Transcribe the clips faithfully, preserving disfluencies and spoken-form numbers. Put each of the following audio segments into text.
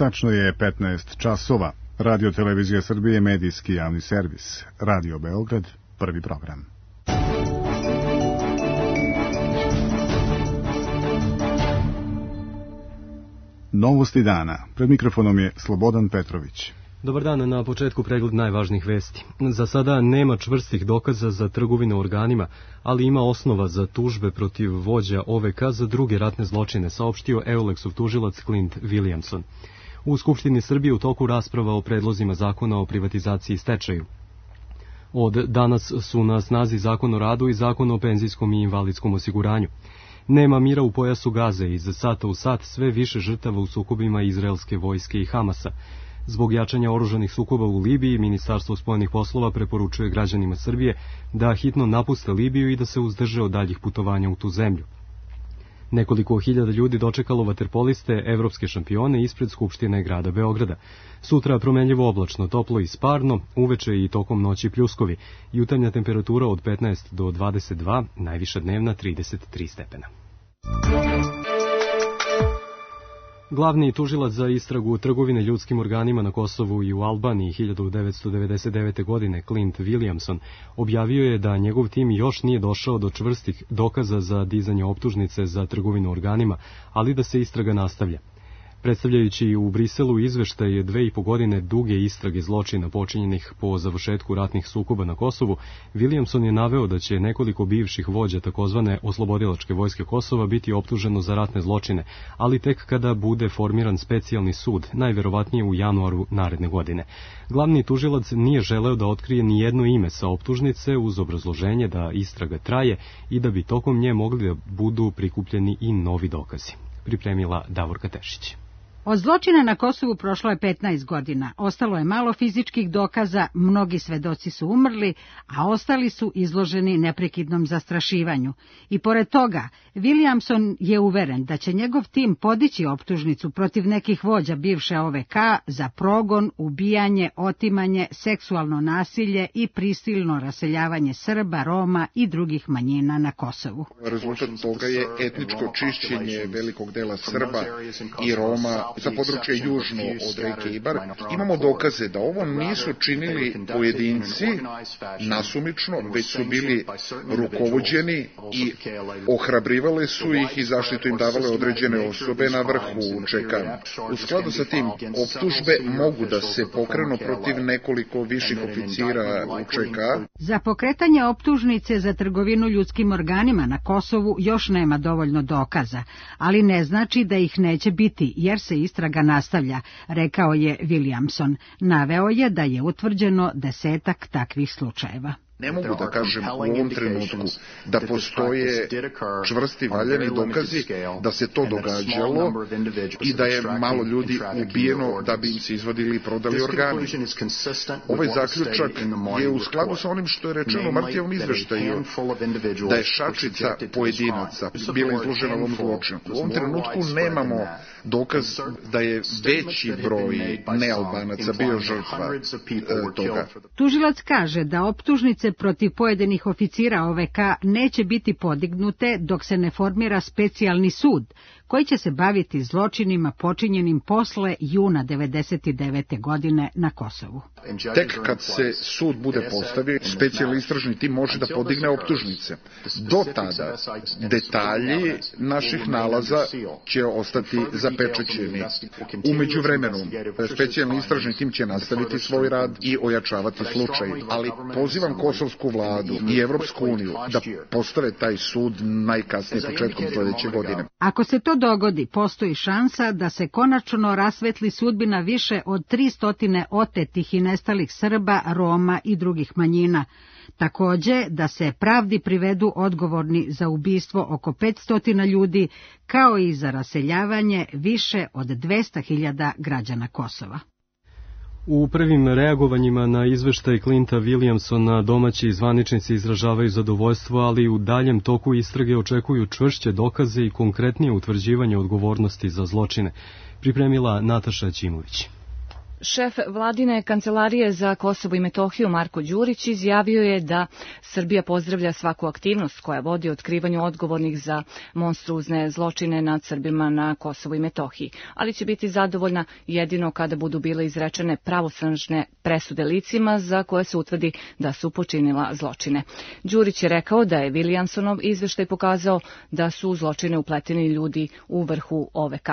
Tačno je petnaest časova. Radio Televizija Srbije, medijski javni servis. Radio Beograd, prvi program. Novosti dana. Pred mikrofonom je Slobodan Petrović. Dobar dan, na početku pregled najvažnijih vesti. Za sada nema čvrstih dokaza za trgovinu organima, ali ima osnova za tužbe protiv vođa O V K za druge ratne zločine, saopštio Eulexov tužilac Clint Williamson. U Skupštini Srbije u toku rasprava o predlozima zakona o privatizaciji i stečaju. Od danas su na snazi Zakon o radu i Zakon o penzijskom i invalidskom osiguranju. Nema mira u pojasu Gaze, iz sata u sat sve više žrtava u sukobima izraelske vojske i Hamasa. Zbog jačanja oružanih sukoba u Libiji, Ministarstvo spoljnih poslova preporučuje građanima Srbije da hitno napuste Libiju i da se uzdrže od daljih putovanja u tu zemlju. Nekoliko hiljada ljudi dočekalo vaterpoliste, evropske šampione, ispred Skupštine grada Beograda. Sutra promenljivo oblačno, toplo i sparno, uveče i tokom noći pljuskovi. Jutarnja temperatura od petnaest do dvadeset dva, najviša dnevna trideset tri stepena. Glavni tužilac za istragu trgovine ljudskim organima na Kosovu i u Albaniji hiljadu devetsto devedeset devete. godine, Clint Williamson, objavio je da njegov tim još nije došao do čvrstih dokaza za dizanje optužnice za trgovinu organima, ali da se istraga nastavlja. Predstavljajući u Briselu izveštaj dve i po godine duge istrage zločina počinjenih po završetku ratnih sukoba na Kosovu, Williamson je naveo da će nekoliko bivših vođa takozvane oslobodilačke vojske Kosova biti optuženo za ratne zločine, ali tek kada bude formiran specijalni sud, najverovatnije u januaru naredne godine. Glavni tužilac nije želeo da otkrije ni jedno ime sa optužnice uz obrazloženje da istraga traje i da bi tokom nje mogli da budu prikupljeni i novi dokazi. Pripremila Davorka Tešić. Od zločina na Kosovu prošlo je petnaest godina, ostalo je malo fizičkih dokaza, mnogi svedoci su umrli, a ostali su izloženi neprekidnom zastrašivanju. I pored toga, Williamson je uveren da će njegov tim podići optužnicu protiv nekih vođa bivše O V K za progon, ubijanje, otimanje, seksualno nasilje i prisilno raseljavanje Srba, Roma i drugih manjina na Kosovu. Rezultat toga je etničko čišćenje velikog dela Srba i Roma za područje južno od reke Ibar. Imamo dokaze da ovo nisu činili pojedinci nasumično, već su bili rukovođeni i ohrabrivale su ih i zaštitu im davale određene osobe na vrhu U Č K. U skladu sa tim, optužbe mogu da se pokrenu protiv nekoliko viših oficira U Č K. Za pokretanje optužnice za trgovinu ljudskim organima na Kosovu još nema dovoljno dokaza, ali ne znači da ih neće biti, jer se istraga nastavlja, rekao je Williamson. Naveo je da je utvrđeno desetak takvih slučajeva. Ne mogu da kažem u ovom trenutku da postoje čvrsti valjani dokazi da se to događalo i da je malo ljudi ubijeno da bi im se izvadili i prodali organi. Ovaj zaključak je u skladu sa onim što je rečeno u Martijevom izveštaju, da je šačica pojedinaca bila izložena ovom zločinu. U ovom trenutku nemamo dokaz da je veći broj nealbanaca bio žrtva e, toga. Tužilac kaže da optužnice protiv pojedinih oficira O V K neće biti podignute dok se ne formira specijalni sud, koji će se baviti zločinima počinjenim posle juna devedeset devete. godine na Kosovu. Tek kad se sud bude postavio, specijalni istražni tim može da podigne optužnice. Do tada detalji naših nalaza će ostati zapečaćeni. U međuvremenu, specijalni istražni tim će nastaviti svoj rad i ojačavati slučaj, ali pozivam kosovsku vladu i Evropsku uniju da postave taj sud najkasnije početkom sledeće godine. Ako se to dogodi, postoji šansa da se konačno rasvetli sudbina više od tristo otetih i nestalih Srba, Roma i drugih manjina. Takođe, da se pravdi privedu odgovorni za ubistvo oko petsto ljudi, kao i za raseljavanje više od dvesta hiljada građana Kosova. U prvim reagovanjima na izveštaj Clinta Williamsona domaći zvaničnici izražavaju zadovoljstvo, ali u daljem toku istrage očekuju čvršće dokaze i konkretnije utvrđivanje odgovornosti za zločine, pripremila Nataša Ćimović. Šef vladine kancelarije za Kosovo i Metohiju Marko Đurić izjavio je da Srbija pozdravlja svaku aktivnost koja vodi otkrivanju odgovornih za monstruozne zločine nad Srbima na Kosovu i Metohiji, ali će biti zadovoljna jedino kada budu bile izrečene pravosnažne presude licima za koje se utvrdi da su počinila zločine. Đurić je rekao da je Williamsonov izveštaj pokazao da su u zločine upleteni ljudi u vrhu O V K.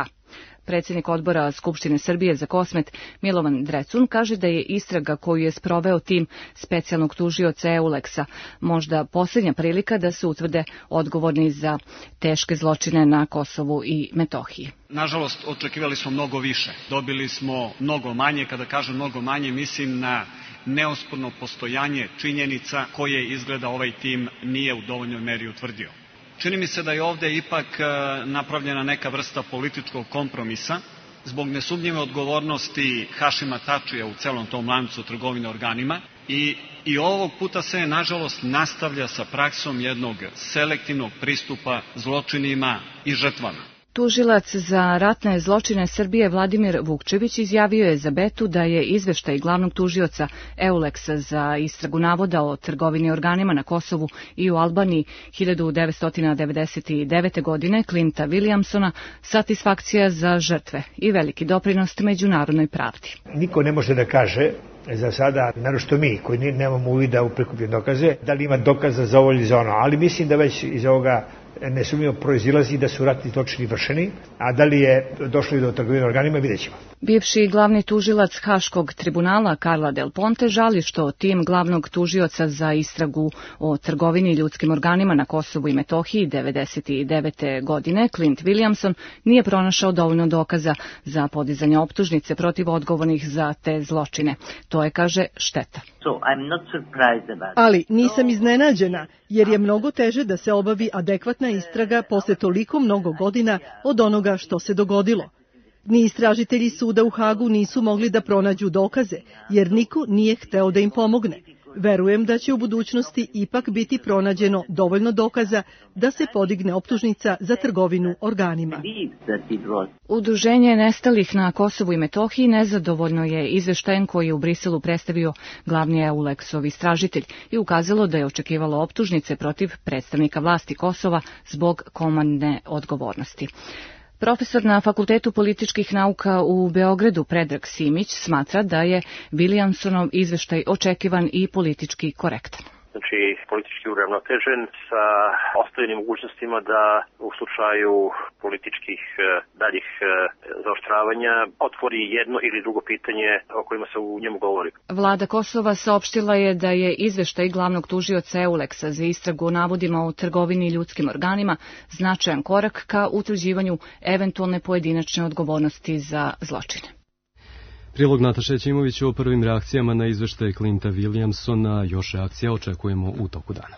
Predsjednik odbora Skupštine Srbije za Kosmet Milovan Drecun kaže da je istraga koju je sproveo tim specijalnog tužioca Euleksa možda posljednja prilika da se utvrde odgovorni za teške zločine na Kosovu i Metohiji. Nažalost, očekivali smo mnogo više. Dobili smo mnogo manje. Kada kažem mnogo manje, mislim na neosporno postojanje činjenica koje izgleda ovaj tim nije u dovoljnoj meri utvrdio. Čini mi se da je ovde ipak napravljena neka vrsta političkog kompromisa zbog nesumnjive odgovornosti Hašima Tačija u celom tom lancu trgovine organima i, i ovog puta se nažalost nastavlja sa praksom jednog selektivnog pristupa zločinima i žrtvama. Tužilac za ratne zločine Srbije Vladimir Vukčević izjavio je za Betu da je izveštaj glavnog tužioca Euleksa za istragu navoda o trgovini organima na Kosovu i u Albaniji hiljadu devetsto devedeset devete. godine Clinta Williamsona satisfakcija za žrtve i veliki doprinos međunarodnoj pravdi. Niko ne može da kaže za sada, naročito mi koji nemamo uvida u prikupljene dokaze, da li ima dokaza za ovo ili za ono, ali mislim da već iz ovoga nesumnjivo proizilazi da su ratni zločini vršeni, a da li je došlo i do trgovine organima, vidjet ćemo. Bivši glavni tužilac Haškog tribunala Carla Del Ponte žali što tim glavnog tužioca za istragu o trgovini ljudskim organima na Kosovu i Metohiji devedeset devete. godine Clint Williamson nije pronašao dovoljno dokaza za podizanje optužnice protiv odgovornih za te zločine. To je, kaže, šteta. Ali nisam iznenađena, jer je mnogo teže da se obavi adekvatna istraga posle toliko mnogo godina od onoga što se dogodilo. Ni istražitelji suda u Hagu nisu mogli da pronađu dokaze, jer niko nije hteo da im pomogne. Verujem da će u budućnosti ipak biti pronađeno dovoljno dokaza da se podigne optužnica za trgovinu organima. Udruženje nestalih na Kosovu i Metohiji nezadovoljno je izveštajem koji je u Briselu predstavio glavni Euleksov istražitelj i ukazalo da je očekivalo optužnice protiv predstavnika vlasti Kosova zbog komandne odgovornosti. Profesor na Fakultetu političkih nauka u Beogradu Predrag Simić smatra da je Williamsonov izveštaj očekivan i politički korektan. Znači, politički uravnotežen sa ostavljenim mogućnostima da u slučaju političkih daljih zaoštravanja otvori jedno ili drugo pitanje o kojima se u njemu govori. Vlada Kosova saopštila je da je izveštaj glavnog tužioca Euleksa za istragu o navodima o trgovini ljudskim organima značajan korak ka utvrđivanju eventualne pojedinačne odgovornosti za zločine. Prilog Nataše Ćimovića o prvim reakcijama na izveštaj Clinta Williamsona. Još reakcija očekujemo u toku dana.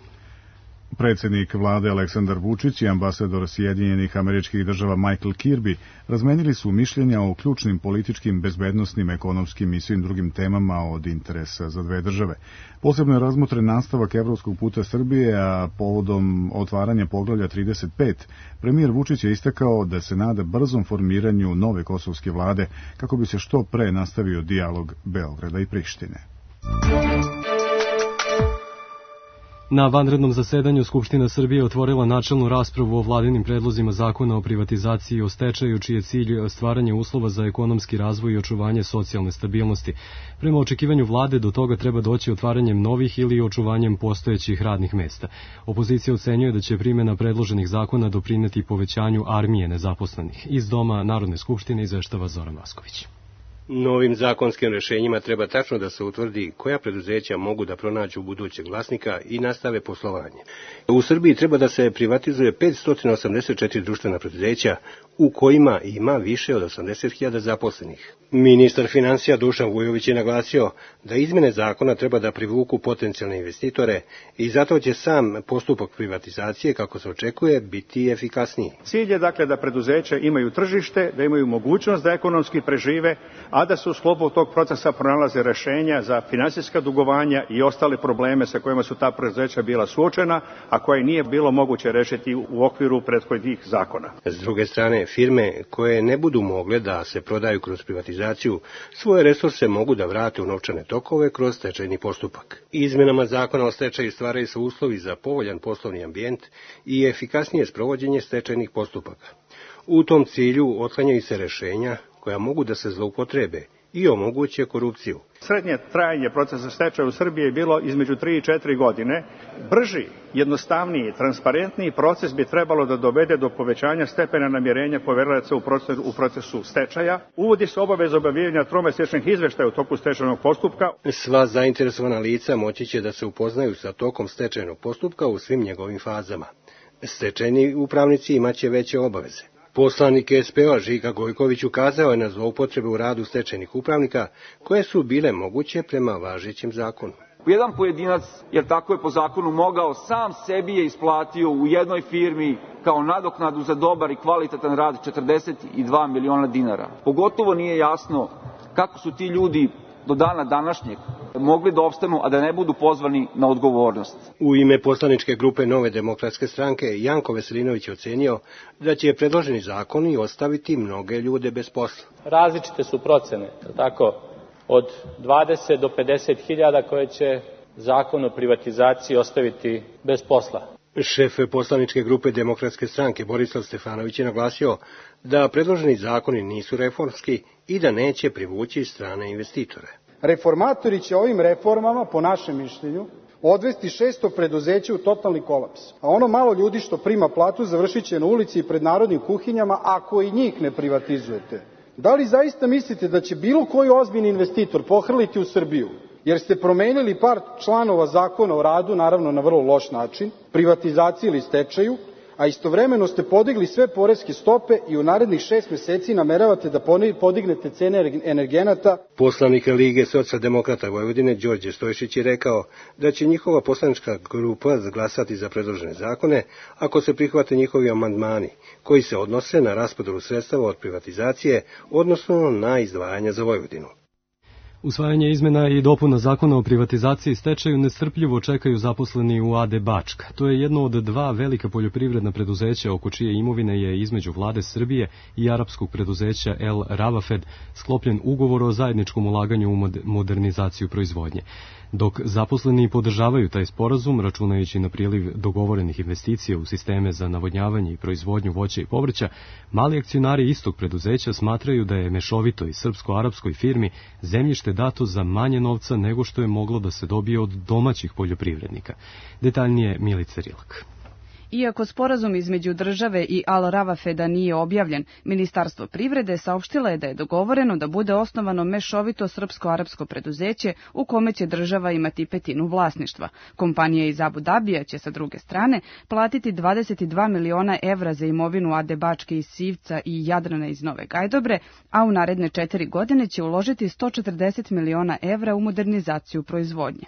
Predsjednik vlade Aleksandar Vučić i ambasador Sjedinjenih Američkih Država Michael Kirby razmenili su mišljenja o ključnim političkim, bezbednosnim, ekonomskim i svim drugim temama od interesa za dve države. Posebno je razmotren nastavak evropskog puta Srbije, a povodom otvaranja poglavlja trideset pet, premijer Vučić je istakao da se nada brzom formiranju nove kosovske vlade kako bi se što pre nastavio dijalog Beograda i Prištine. Na vanrednom zasedanju Skupština Srbije otvorila načelnu raspravu o vladinim predlozima zakona o privatizaciji i o stečaju, čiji je cilj stvaranje uslova za ekonomski razvoj i očuvanje socijalne stabilnosti. Prema očekivanju vlade do toga treba doći otvaranjem novih ili očuvanjem postojećih radnih mesta. Opozicija ocenjuje da će primjena predloženih zakona doprineti povećanju armije nezaposlenih. Iz Doma Narodne skupštine izveštava Zoran Vasković. Novim zakonskim rešenjima treba tačno da se utvrdi koja preduzeća mogu da pronađu budućeg vlasnika i nastave poslovanje. U Srbiji treba da se privatizuje petsto osamdeset četiri društvena preduzeća u kojima ima više od osamdeset hiljada zaposlenih. Ministar finansija Dušan Vujović je naglasio da izmene zakona treba da privuku potencijalne investitore i zato će sam postupak privatizacije, kako se očekuje, biti efikasniji. Cilj je dakle da preduzeća imaju tržište, da imaju mogućnost da ekonomski prežive, a a da se u sklopu tog procesa pronalaze rešenja za finansijska dugovanja i ostale probleme sa kojima su ta preduzeća bila suočena, a koje nije bilo moguće rešiti u okviru prethodnih zakona. S druge strane, firme koje ne budu mogle da se prodaju kroz privatizaciju, svoje resurse mogu da vrate u novčane tokove kroz stečajni postupak. Izmenama zakona o stečaju stvaraju se uslovi za povoljan poslovni ambijent i efikasnije sprovođenje stečajnih postupaka. U tom cilju otklanjaju se rešenja koja mogu da se zloupotrebe i omoguće korupciju. Srednje trajanje procesa stečaja u Srbiji je bilo između tri i četiri godine. Brži, jednostavniji, transparentniji proces bi trebalo da dovede do povećanja stepena namirenja poverilaca u procesu, u procesu stečaja. Uvodi se obaveza objavljivanja tromesečnih izveštaja u toku stečajnog postupka. Sva zainteresovana lica moći će da se upoznaju sa tokom stečajnog postupka u svim njegovim fazama. Stečajni upravnici imaće veće obaveze. Poslanik S P O Žika Gojković ukazao je na zloupotrebe u radu stečajnih upravnika koje su bile moguće prema važećem zakonu. Jedan pojedinac, jer tako je po zakonu mogao, sam sebi je isplatio u jednoj firmi kao nadoknadu za dobar i kvalitetan rad četrdeset dva miliona dinara. Pogotovo nije jasno kako su ti ljudi do dana današnjeg mogli da opstanu, a da ne budu pozvani na odgovornost. U ime poslaničke grupe Nove demokratske stranke Janko Veselinović je ocenio da će predloženi zakoni ostaviti mnoge ljude bez posla. Različite su procene, tako, od dvadeset do pedeset hiljada koje će zakon o privatizaciji ostaviti bez posla. Šef poslaničke grupe Demokratske stranke Borislav Stefanović je naglasio da predloženi zakoni nisu reformski i da neće privući strane investitore. Reformatori će ovim reformama, po našem mišljenju, odvesti šesto preduzeća u totalni kolaps. A ono malo ljudi što prima platu završit će na ulici i pred narodnim kuhinjama ako i njih ne privatizujete. Da li zaista mislite da će bilo koji ozbiljni investitor pohrliti u Srbiju, jer ste promenili par članova zakona o radu, naravno na vrlo loš način, privatizaciji ili stečaju, a istovremeno ste podigli sve poreske stope i u narednih šest meseci nameravate da podignete cene energenata? Poslanik Lige socijaldemokrata Vojvodine Đorđe Stojšić je rekao da će njihova poslanička grupa glasati za predložene zakone ako se prihvate njihovi amandmani koji se odnose na raspodelu sredstava od privatizacije, odnosno na izdvajanja za Vojvodinu. Usvajanje izmena i dopuna zakona o privatizaciji i stečaju nestrpljivo čekaju zaposleni u A D Bačka. To je jedno od dva velika poljoprivredna preduzeća oko čije imovine je između vlade Srbije i arapskog preduzeća El Ravafed sklopljen ugovor o zajedničkom ulaganju u modernizaciju proizvodnje. Dok zaposleni podržavaju taj sporazum, računajući na priliv dogovorenih investicija u sisteme za navodnjavanje i proizvodnju voća i povrća, mali akcionari istog preduzeća smatraju da je mešovitoj srpsko-arapskoj firmi zemljište dato za manje novca nego što je moglo da se dobije od domaćih poljoprivrednika. Detaljnije Milica Rilak. Iako sporazum između države i Al Ravafeda nije objavljen, Ministarstvo privrede saopštilo je da je dogovoreno da bude osnovano mešovito srpsko-arapsko preduzeće u kome će država imati petinu vlasništva. Kompanija iz Abu Dabija će sa druge strane platiti dvadeset dva miliona evra za imovinu A D Bačke iz Sivca i Jadrana iz Nove Gajdobre, a u naredne četiri godine će uložiti sto četrdeset miliona evra u modernizaciju proizvodnje.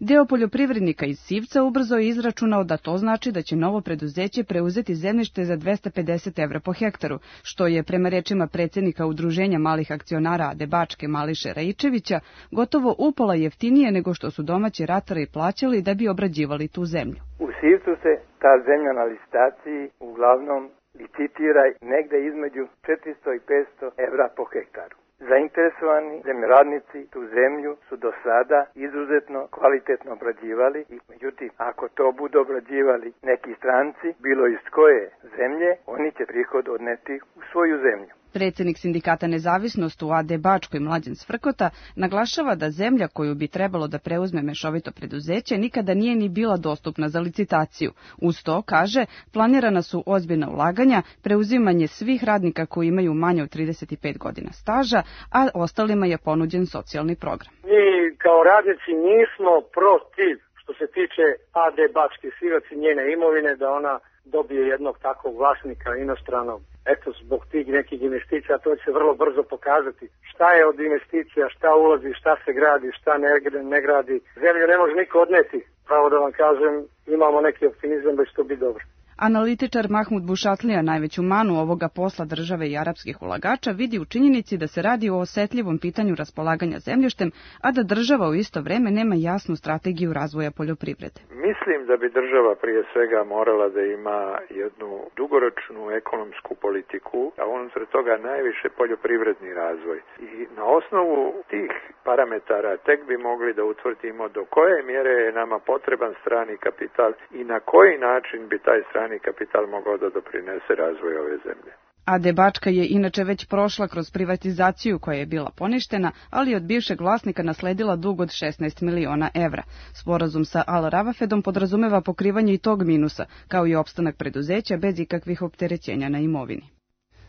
Deo poljoprivrednika iz Sivca ubrzo je izračunao da to znači da će novo preduzeće preuzeti zemljište za dvesta pedeset evra po hektaru, što je, prema rečima predsjednika Udruženja malih akcionara A D Bačke Mališe Raičevića, gotovo upola jeftinije nego što su domaći ratari plaćali da bi obrađivali tu zemlju. U Sivcu se ta zemlja na licitaciji uglavnom licitira negde između četiristo i petsto evra po hektaru. Zainteresovani zemljoradnici tu zemlju su do sada izuzetno kvalitetno obrađivali i međutim, ako to budu obrađivali neki stranci, bilo iz koje zemlje, oni će prihod odneti u svoju zemlju. Predsjednik sindikata Nezavisnost u A D Bačkoj Mlađan Svrkota naglašava da zemlja koju bi trebalo da preuzme mešovito preduzeće nikada nije ni bila dostupna za licitaciju. Uz to, kaže, planirana su ozbiljna ulaganja, preuzimanje svih radnika koji imaju manje od trideset pet godina staža, a ostalima je ponuđen socijalni program. Mi kao radnici nismo protiv što se tiče A D Bačke Sivac i njene imovine da ona dobije jednog takvog vlasnika inostranog. Eto, zbog tih nekih investicija, to će se vrlo brzo pokazati. Šta je od investicija, šta ulazi, šta se gradi, šta ne, ne gradi. Zemlju ne može niko odneti. Pravo da vam kažem, imamo neki optimizam da će to biti dobro. Analitičar Mahmud Bušatlija najveću manu ovoga posla države i arapskih ulagača vidi u činjenici da se radi o osetljivom pitanju raspolaganja zemljištem, a da država u isto vreme nema jasnu strategiju razvoja poljoprivrede. Mislim da bi država prije svega morala da ima jednu dugoročnu ekonomsku politiku, a unutar toga najviše poljoprivredni razvoj. I na osnovu tih parametara tek bi mogli da utvrdimo do koje mjere je nama potreban strani kapital i na koji način bi taj strani kapital mogao da doprinese razvoju ove zemlje. A de Bačka je inače već prošla kroz privatizaciju koja je bila poništena, ali od bivšeg vlasnika nasledila dug od šesnaest miliona evra. Sporazum sa Al Ravafedom podrazumeva pokrivanje i tog minusa, kao i opstanak preduzeća bez ikakvih opterećenja na imovini.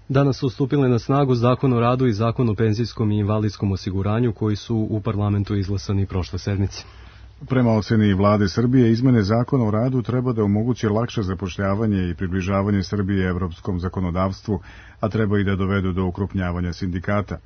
Danas su stupile na snagu Zakon o radu i Zakon o penzijskom i invalidskom osiguranju koji su u parlamentu izglasani prošle sedmice. Prema oceni vlade Srbije, izmene zakona o radu treba da omoguće lakše zapošljavanje i približavanje Srbije evropskom zakonodavstvu, a treba i da dovedu do ukrupnjavanja sindikata.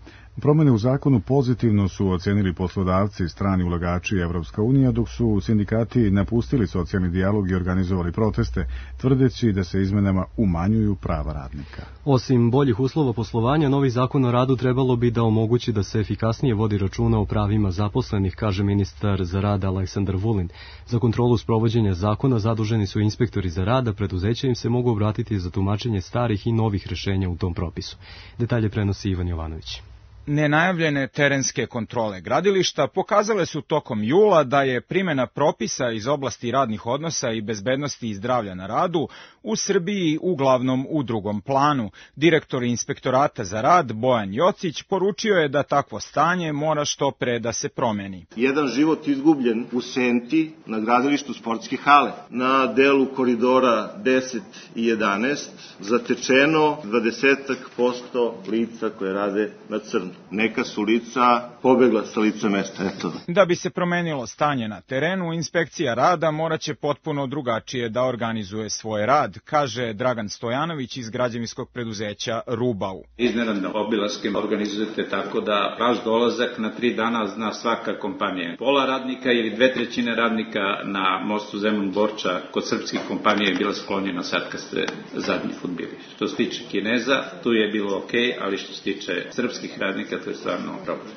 Promene u zakonu pozitivno su ocenili poslodavci, strani ulagači i Evropska unija, dok su sindikati napustili socijalni dijalog i organizovali proteste, tvrdeći da se izmenama umanjuju prava radnika. Osim boljih uslova poslovanja, novi zakon o radu trebalo bi da omogući da se efikasnije vodi računa o pravima zaposlenih, kaže ministar za rad Aleksandar Vulin. Za kontrolu sprovođenja zakona zaduženi su inspektori za rad, a preduzeća im se mogu obratiti za tumačenje starih i novih rešenja u tom propisu. Detalje prenosi Ivan Jovanović. Nenajavljene terenske kontrole gradilišta pokazale su tokom jula da je primjena propisa iz oblasti radnih odnosa i bezbednosti i zdravlja na radu u Srbiji uglavnom u drugom planu. Direktor inspektorata za rad Bojan Jocić poručio je da takvo stanje mora što pre da se promeni. Jedan život izgubljen u Senti na gradilištu sportske hale. Na delu koridora deset i jedanaest zatečeno dvadeset posto lica koje rade na crno. Neka su lica pobegla sa lica mesta. Eto. Da bi se promenilo stanje na terenu, inspekcija rada moraće potpuno drugačije da organizuje svoj rad, kaže Dragan Stojanović iz građevinskog preduzeća Rubau. Iznenadne obilaske organizujete tako da vaš dolazak na tri dana zna svaka kompanija. Pola radnika ili dve trećine radnika na mostu Zemun-Borča kod srpskih kompanija je bila sklonjena sad kad ste zadnji put bili. Što se tiče Kineza, tu je bilo ok, ali što se tiče srpskih radnika, to je stvarno problem.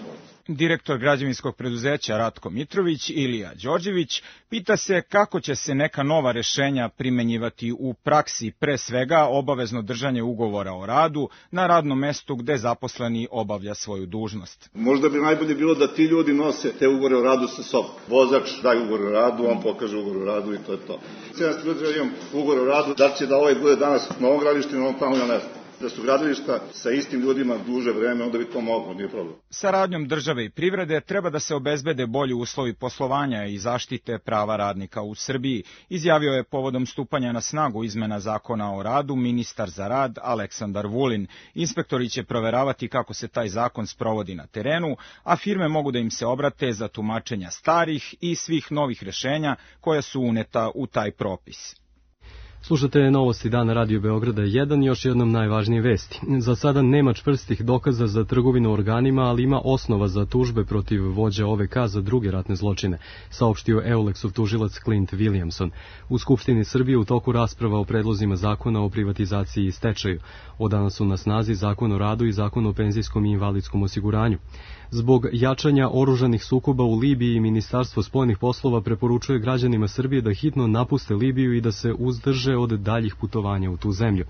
Direktor građevinskog preduzeća Ratko Mitrović, Ilija Đorđević, pita se kako će se neka nova rešenja primenjivati u praksi, pre svega obavezno držanje ugovora o radu na radnom mestu gde zaposleni obavlja svoju dužnost. Možda bi najbolje bilo da ti ljudi nose te ugovore o radu sa sobom. Vozač daje ugovor o radu, on pokaže ugovor o radu i to je to. sedamsto ljudi imam ugovor o radu, da će da ovaj bude danas na ovom gradilištu i na ovom tamo ja ne znam. Da su gradilišta sa istim ljudima duže vreme, onda bi to moglo, nije problem. Saradnjom države i privrede treba da se obezbede bolji uslovi poslovanja i zaštite prava radnika u Srbiji, izjavio je povodom stupanja na snagu izmena zakona o radu ministar za rad Aleksandar Vulin. Inspektori će proveravati kako se taj zakon sprovodi na terenu, a firme mogu da im se obrate za tumačenja starih i svih novih rešenja koja su uneta u taj propis. Slušate novosti dana Radio Beograda jedan i još jednom najvažnije vesti. Za sada nema čvrstih dokaza za trgovinu organima, ali ima osnova za tužbe protiv vođa O V K za druge ratne zločine, saopštio Eulexov tužilac Clint Williamson. U Skupštini Srbije u toku rasprava o predlozima zakona o privatizaciji i stečaju. Od danas su na snazi Zakon o radu i Zakon o penzijskom i invalidskom osiguranju. Zbog jačanja oružanih sukoba u Libiji, Ministarstvo spoljnih poslova preporučuje građanima Srbije da hitno napuste Libiju i da se uzdrže od daljih putovanja u tu zemlju.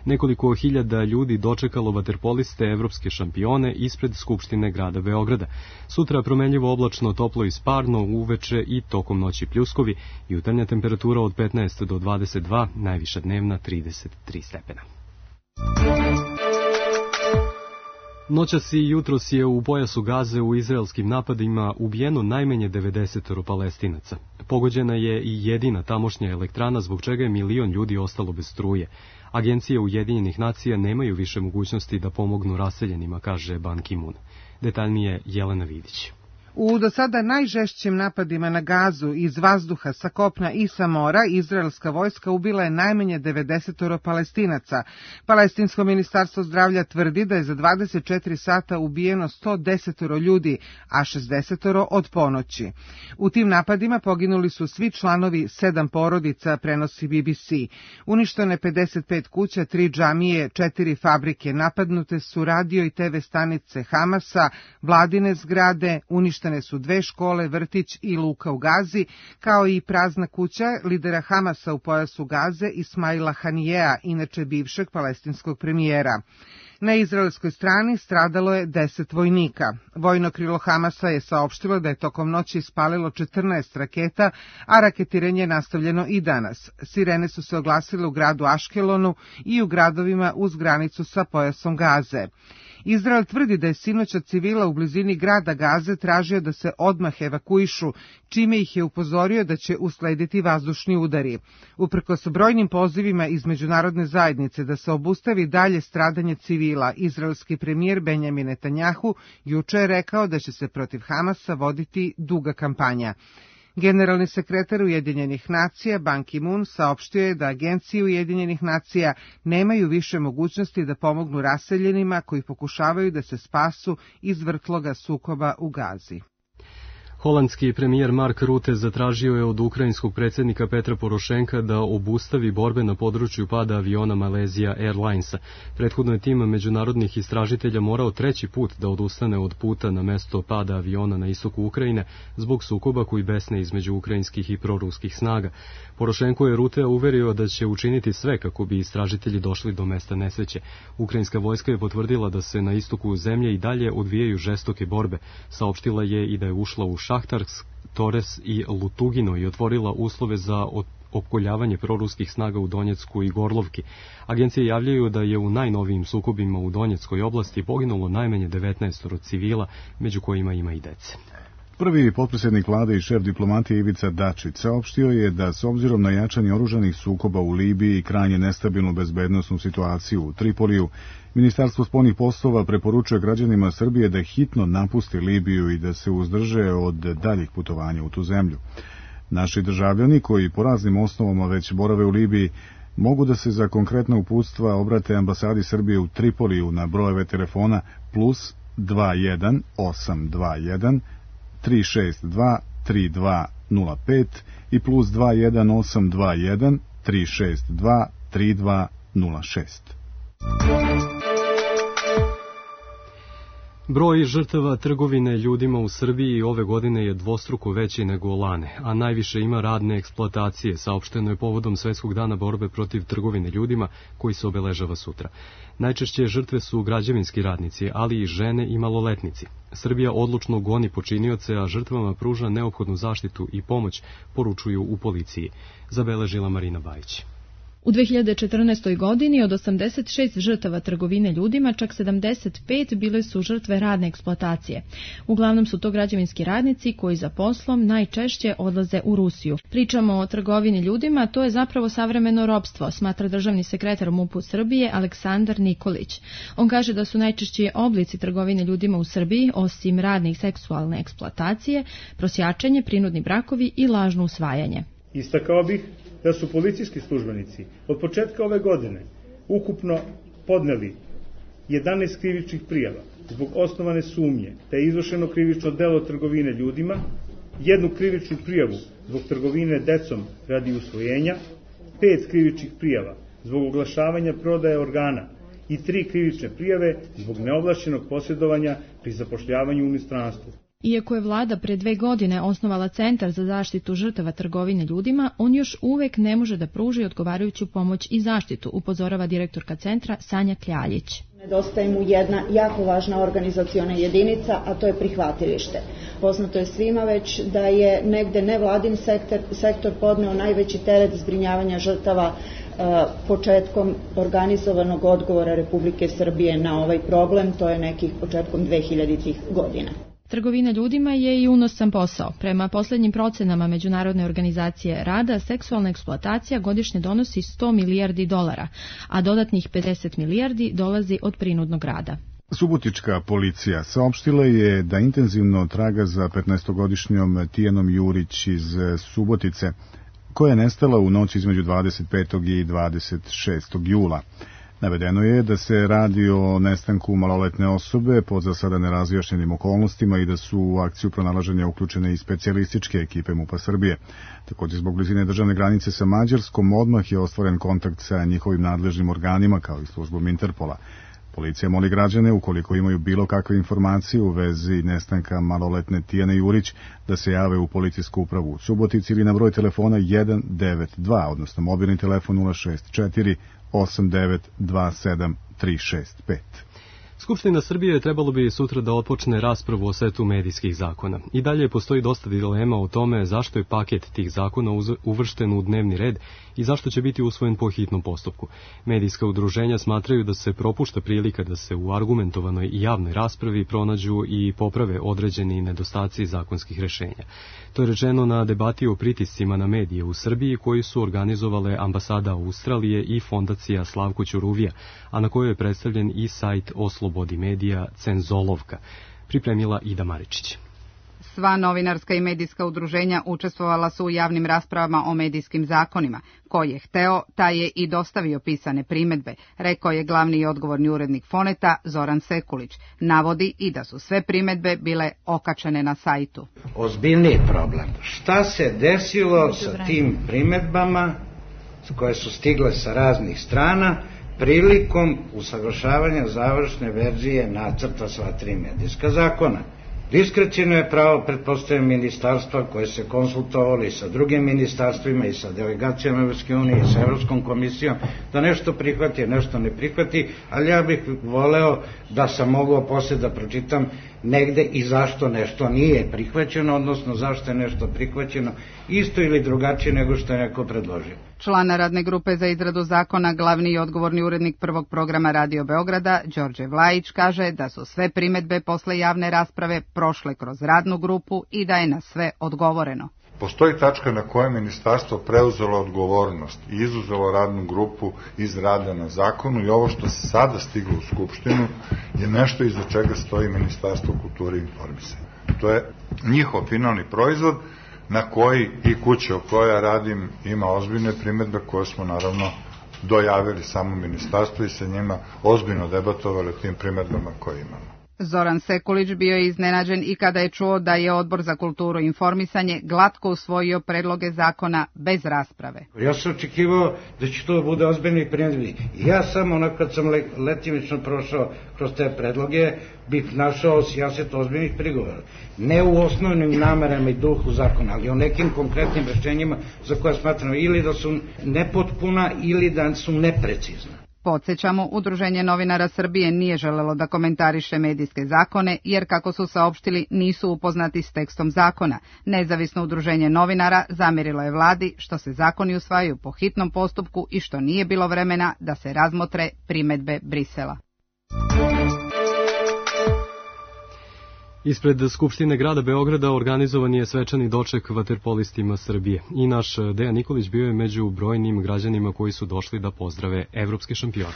Nekoliko hiljada ljudi dočekalo vaterpoliste evropske šampione ispred Skupštine grada Beograda. Sutra promenljivo oblačno, toplo i sparno, uveče i tokom noći pljuskovi, jutarnja temperatura od petnaest do dvadeset dva, najviša dnevna trideset tri stepena. Noćas i jutros je u pojasu Gaze u izraelskim napadima ubijeno najmanje devedeset Palestinaca. Pogođena je i jedina tamošnja elektrana, zbog čega je milion ljudi ostalo bez struje. Agencije Ujedinjenih nacija nemaju više mogućnosti da pomognu raseljenima, kaže Ban Ki-moon. Detaljnije Jelena Vidić. U do sada najžešćim napadima na Gazu iz vazduha, sa kopna i sa mora, izraelska vojska ubila je najmanje devedeset Palestinaca. Palestinsko ministarstvo zdravlja tvrdi da je za dvadeset četiri sata ubijeno sto deset ljudi, a šezdeset od ponoći. U tim napadima poginuli su svi članovi sedam porodica, prenosi B B C. Uništene pedeset pet kuća, tri džamije, četiri fabrike, napadnute su radio i te ve stanice Hamasa, vladine zgrade, uništene su dve škole, vrtić i luka u Gazi, kao i prazna kuća lidera Hamasa u pojasu Gaze Ismaila Hanijea, inače bivšeg palestinskog premijera. Na izraelskoj strani stradalo je deset vojnika. Vojno krilo Hamasa je saopštilo da je tokom noći ispalilo četrnaest raketa, a raketiranje je nastavljeno i danas. Sirene su se oglasile u gradu Aškelonu i u gradovima uz granicu sa pojasom Gaze. Izrael tvrdi da je sinoć od civila u blizini grada Gaze tražio da se odmah evakuišu, čime ih je upozorio da će uslediti vazdušni udari. Uprkos brojnim pozivima iz međunarodne zajednice da se obustavi dalje stradanje civila, izraelski premijer Benjamin Netanjahu juče je rekao da će se protiv Hamasa voditi duga kampanja. Generalni sekretar Ujedinjenih nacija Ban Ki-moon saopštio je da agencije Ujedinjenih nacija nemaju više mogućnosti da pomognu raseljenima koji pokušavaju da se spasu iz vrtloga sukoba u Gazi. Holandski premijer Mark Rutte zatražio je od ukrajinskog predsjednika Petra Porošenka da obustavi borbe na području pada aviona Malaysia Airlinesa. Prethodno je tim međunarodnih istražitelja morao treći put da odustane od puta na mesto pada aviona na istoku Ukrajine zbog sukoba koji besne između ukrajinskih i proruskih snaga. Porošenko je Ruttea uverio da će učiniti sve kako bi istražitelji došli do mesta nesreće. Ukrajinska vojska je potvrdila da se na istoku zemlje i dalje odvijaju žestoke borbe. Saopštila je i da je ušla u Šahtarsk, Tores i Lutugino i otvorila uslove za opkoljavanje proruskih snaga u Donjecku i Gorlovki. Agencije javljaju da je u najnovijim sukobima u Donjeckoj oblasti poginulo najmanje devetnaest civila, među kojima ima i dece. Prvi potpredsjednik vlade i šef diplomatije Ivica Dačić saopštio je da s obzirom na jačanje oružanih sukoba u Libiji i krajnje nestabilnu bezbednosnu situaciju u Tripoliju, Ministarstvo spoljnih poslova preporučuje građanima Srbije da hitno napusti Libiju i da se uzdrže od daljih putovanja u tu zemlju. Naši državljani koji po raznim osnovama već borave u Libiji mogu da se za konkretna uputstva obrate ambasadi Srbije u Tripoliju na brojeve telefona plus dva jedan osam dva jedan tri šest dva tri dva nula pet i plus dva jedan osam dva jedan tri šest dva tri dva nula šest. Broj žrtava trgovine ljudima u Srbiji ove godine je dvostruko veći nego lane, a najviše ima radne eksploatacije, saopšteno je povodom Svetskog dana borbe protiv trgovine ljudima koji se obeležava sutra. Najčešće žrtve su građevinski radnici, ali i žene i maloletnici. Srbija odlučno goni počinioce, a žrtvama pruža neophodnu zaštitu i pomoć, poručuju u policiji, zabeležila Marina Bajić. U dve hiljade četrnaestoj. godini od osamdeset šest žrtava trgovine ljudima, čak sedamdeset pet bile su žrtve radne eksploatacije. Uglavnom su to građevinski radnici koji za poslom najčešće odlaze u Rusiju. Pričamo o trgovini ljudima, to je zapravo savremeno ropstvo, smatra državni sekretar MUP-u Srbije Aleksandar Nikolić. On kaže da su najčešći oblici trgovine ljudima u Srbiji, osim radne i seksualne eksploatacije, prosjačenje, prinudni brakovi i lažno usvajanje. Istakao bih da su policijski službenici od početka ove godine ukupno podneli jedanaest krivičnih prijava zbog osnovane sumnje da je izvršeno krivično delo trgovine ljudima, jednu krivičnu prijavu zbog trgovine decom radi usvojenja, pet krivičnih prijava zbog oglašavanja prodaje organa i tri krivične prijave zbog neovlašćenog posjedovanja pri zapošljavanju u inostranstvu. Iako je vlada pre dve godine osnovala Centar za zaštitu žrtava trgovine ljudima, on još uvek ne može da pruži odgovarajuću pomoć i zaštitu, upozorava direktorka centra Sanja Kljaljić. Nedostaje mu jedna jako važna organizaciona jedinica, a to je prihvatilište. Poznato je svima već da je negde nevladin sektor, sektor podneo najveći teret zbrinjavanja žrtava e, početkom organizovanog odgovora Republike Srbije na ovaj problem, to je nekih početkom dvehiljaditih godina. Trgovina ljudima je i unosan posao. Prema poslednjim procenama Međunarodne organizacije rada, seksualna eksploatacija godišnje donosi sto milijardi dolara, a dodatnih pedeset milijardi dolazi od prinudnog rada. Subotička policija saopštila je da intenzivno traga za petnaestogodišnjom Tijanom Jurić iz Subotice, koja je nestala u noći između dvadeset petog i dvadeset šestog jula. Navedeno je da se radi o nestanku maloletne osobe pod za sada nerazjašnjenim okolnostima i da su u akciju pronalaženja uključene i specijalističke ekipe MUP-a Srbije. Također zbog blizine državne granice sa Mađarskom odmah je ostvaren kontakt sa njihovim nadležnim organima kao i službom Interpola. Policija moli građane, ukoliko imaju bilo kakve informacije u vezi nestanka maloletne Tijane Jurić, da se jave u policijsku upravu u Subotici ili na broj telefona jedan devet dva, odnosno mobilni telefon nula šest četiri osam devet dva sedam tri šest pet. Skupština Srbije trebalo bi sutra da otpočne raspravu o setu medijskih zakona. I dalje postoji dosta dilema o tome zašto je paket tih zakona uvršten u dnevni red i zašto će biti usvojen po hitnom postupku. Medijska udruženja smatraju da se propušta prilika da se u argumentovanoj i javnoj raspravi pronađu i poprave određeni nedostaci zakonskih rešenja. To je rečeno na debati o pritiscima na medije u Srbiji koji su organizovale ambasada Australije i fondacija Slavko Ćuruvija, a na kojoj je predstavljen i sajt o slobodi medija Cenzolovka, pripremila Ida Maričić. Sva novinarska i medijska udruženja učestvovala su u javnim raspravama o medijskim zakonima. Ko je hteo, taj je i dostavio pisane primedbe, rekao je glavni i odgovorni urednik Foneta Zoran Sekulić. Navodi i da su sve primedbe bile okačene na sajtu. Ozbiljniji problem. Šta se desilo sa tim primedbama koje su stigle sa raznih strana prilikom usaglašavanja završne verzije nacrta sva tri medijska zakona? Diskreciono je pravo, pretpostavljam, ministarstva koje se konsultovali i sa drugim ministarstvima i sa delegacijama Evropske unije i sa Evropskom komisijom da nešto prihvati, nešto ne prihvati, ali ja bih voleo da sam mogao posle da pročitam negde i zašto nešto nije prihvaćeno, odnosno zašto je nešto prihvaćeno isto ili drugačije nego što je neko predložio. Člana radne grupe za izradu zakona, glavni i odgovorni urednik prvog programa Radio Beograda, Đorđe Vlajić, kaže da su sve primedbe posle javne rasprave prošle kroz radnu grupu i da je na sve odgovoreno. Postoji tačka na kojoj je ministarstvo preuzelo odgovornost i izuzelo radnu grupu iz rada na zakonu i ovo što se sada stiglo u Skupštinu je nešto iza čega stoji Ministarstvo kulture i informisanja. To je njihov finalni proizvod na koji i kuća o kojoj ja radim ima ozbiljne primedbe koje smo naravno dojavili samo ministarstvo i sa njima ozbiljno debatovali o tim primedbama koje imamo. Zoran Sekulić bio je iznenađen i kada je čuo da je Odbor za kulturu i informisanje glatko usvojio predloge zakona bez rasprave. Ja sam očekivao da će to bude ozbiljni primjedbi. Ja samo onako kad sam letimično prošao kroz te predloge bih našao sijaset ozbiljnih prigovora. Ne u osnovnim namerama i duhu zakona, ali o nekim konkretnim rešenjima za koje smatram ili da su nepotpuna ili da su neprecizna. Podsećamo, Udruženje novinara Srbije nije želelo da komentariše medijske zakone, jer kako su saopštili nisu upoznati s tekstom zakona. Nezavisno udruženje novinara zamerilo je vladi što se zakoni usvajaju po hitnom postupku i što nije bilo vremena da se razmotre primedbe Brisela. Ispred Skupštine grada Beograda organizovan je svečani doček vaterpolistima Srbije i naš Dejan Nikolić bio je među brojnim građanima koji su došli da pozdrave evropske šampione.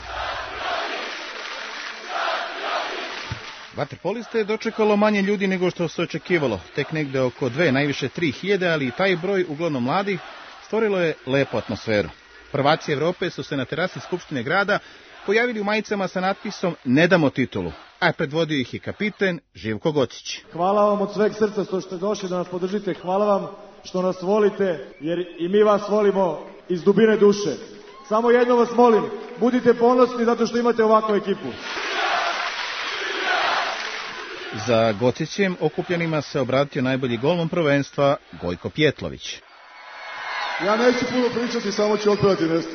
Vaterpoliste je dočekalo manje ljudi nego što se očekivalo, tek negde oko dve, najviše tri hiljade, ali i taj broj, uglavnom mladih, stvorilo je lepu atmosferu. Prvaci Evrope su se na terasi Skupštine grada pojavili u majicama sa natpisom "Ne damo titulu", a predvodio ih je kapiten Živko Gocić. Hvala vam od sveg srca što ste došli da nas podržite, hvala vam što nas volite, jer i mi vas volimo iz dubine duše. Samo jedno vas molim, budite ponosni zato što imate ovakvu ekipu. Za Gocićem okupljenima se obratio najbolji golman prvenstva Gojko Pjetlović. Ja neću puno pričati, samo ću otpevati nešto.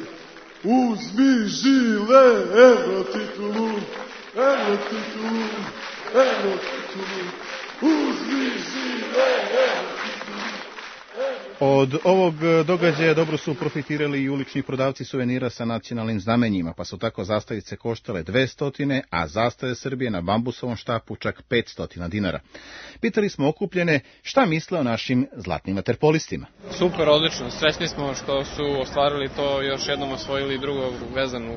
Uzmi žile, evo titulu, evo titulu, evo titulu, uzmi žile, evo titulu. Od ovog događaja dobro su profitirali i ulični prodavci suvenira sa nacionalnim znamenjima, pa su tako zastavice koštale dvesta, a zastave Srbije na bambusovom štapu čak petsto dinara. Pitali smo okupljene šta misle o našim zlatnim vaterpolistima. Super, odlično. Srećni smo što su ostvarili to, još jednom osvojili drugu vezanu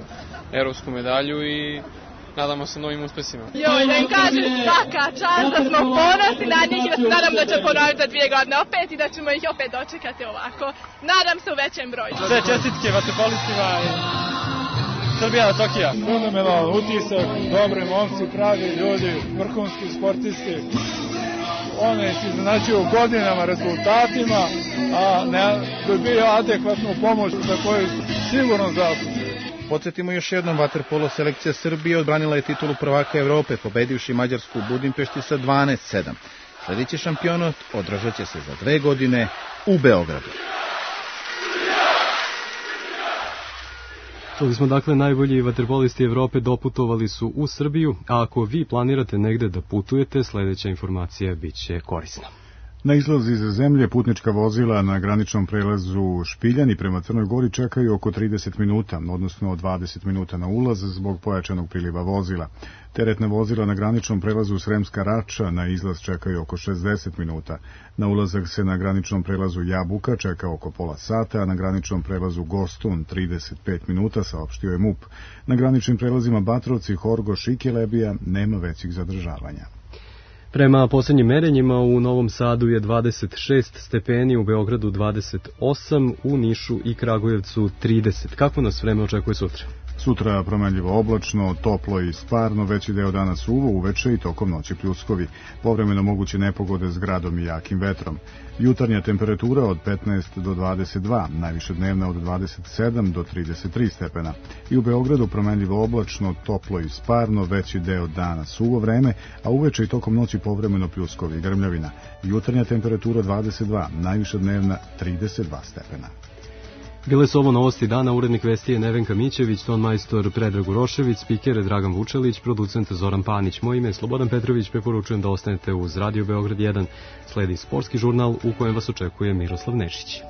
evropsku medalju i nadamo se novim uspesima. Joj, da im kažem svaka čast, da smo ponosni na njih i da se nadam da će ponoviti za dvije godine opet i da ćemo ih opet dočekati ovako. Nadam se u većem broju. Sve čestitke vaterpolistima i Srbija na Tokija. Fenomenalan utisak, dobri momci, pravi ljudi, vrhunski sportisti. One se iznenađuju godinama, rezultatima, a ne dobiju adekvatnu pomoć za koju sigurno zaslužuju. Podsjetimo još jednom, vaterpolo selekcija Srbije odbranila je titulu prvaka Evrope, pobedivši Mađarsku u Budimpešti sa dvanaest sedam. Sljedeći šampionat održat će se za dve godine u Beogradu. Čuli smo dakle, najbolji vaterpolisti Evrope doputovali su u Srbiju, a ako vi planirate negde da putujete, sljedeća informacija bit će korisna. Na izlaz iz zemlje putnička vozila na graničnom prelazu Špiljani prema Crnoj Gori čekaju oko trideset minuta, odnosno dvadeset minuta na ulaz zbog pojačanog priliva vozila. Teretna vozila na graničnom prelazu Sremska Rača na izlaz čekaju oko šezdeset minuta. Na ulazak se na graničnom prelazu Jabuka čeka oko pola sata, a na graničnom prelazu Gostun trideset pet minuta, saopštio je MUP. Na graničnim prelazima Batrovci, Horgoš i Kelebija nema većih zadržavanja. Prema posljednjim merenjima u Novom Sadu je dvadeset šest stepeni, u Beogradu dvadeset osam, u Nišu i Kragujevcu trideset. Kako nas vreme očekuje sutra? Sutra promenljivo oblačno, toplo i sparno, veći deo dana suvo, uveče i tokom noći pljuskovi. Povremeno moguće nepogode s gradom i jakim vetrom. Jutarnja temperatura od petnaest do dvadeset dva, najviše dnevna od dvadeset sedam do trideset tri stepena. I u Beogradu promenljivo oblačno, toplo i sparno, veći deo dana suvo vreme, a uveče i tokom noći povremeno pljuskovi i grmljavina. Jutarnja temperatura dvadeset dva, najviše dnevna trideset dva stepena. Bile su ovo novosti dana, urednik vesti je Nevenka Mićević, ton majstor Predrag Urošević, spiker Dragan Vučelić, producent Zoran Panić. Moje ime je Slobodan Petrović, preporučujem da ostanete uz Radio Beograd jedan. Sledi sportski žurnal u kojem vas očekuje Miroslav Nešić.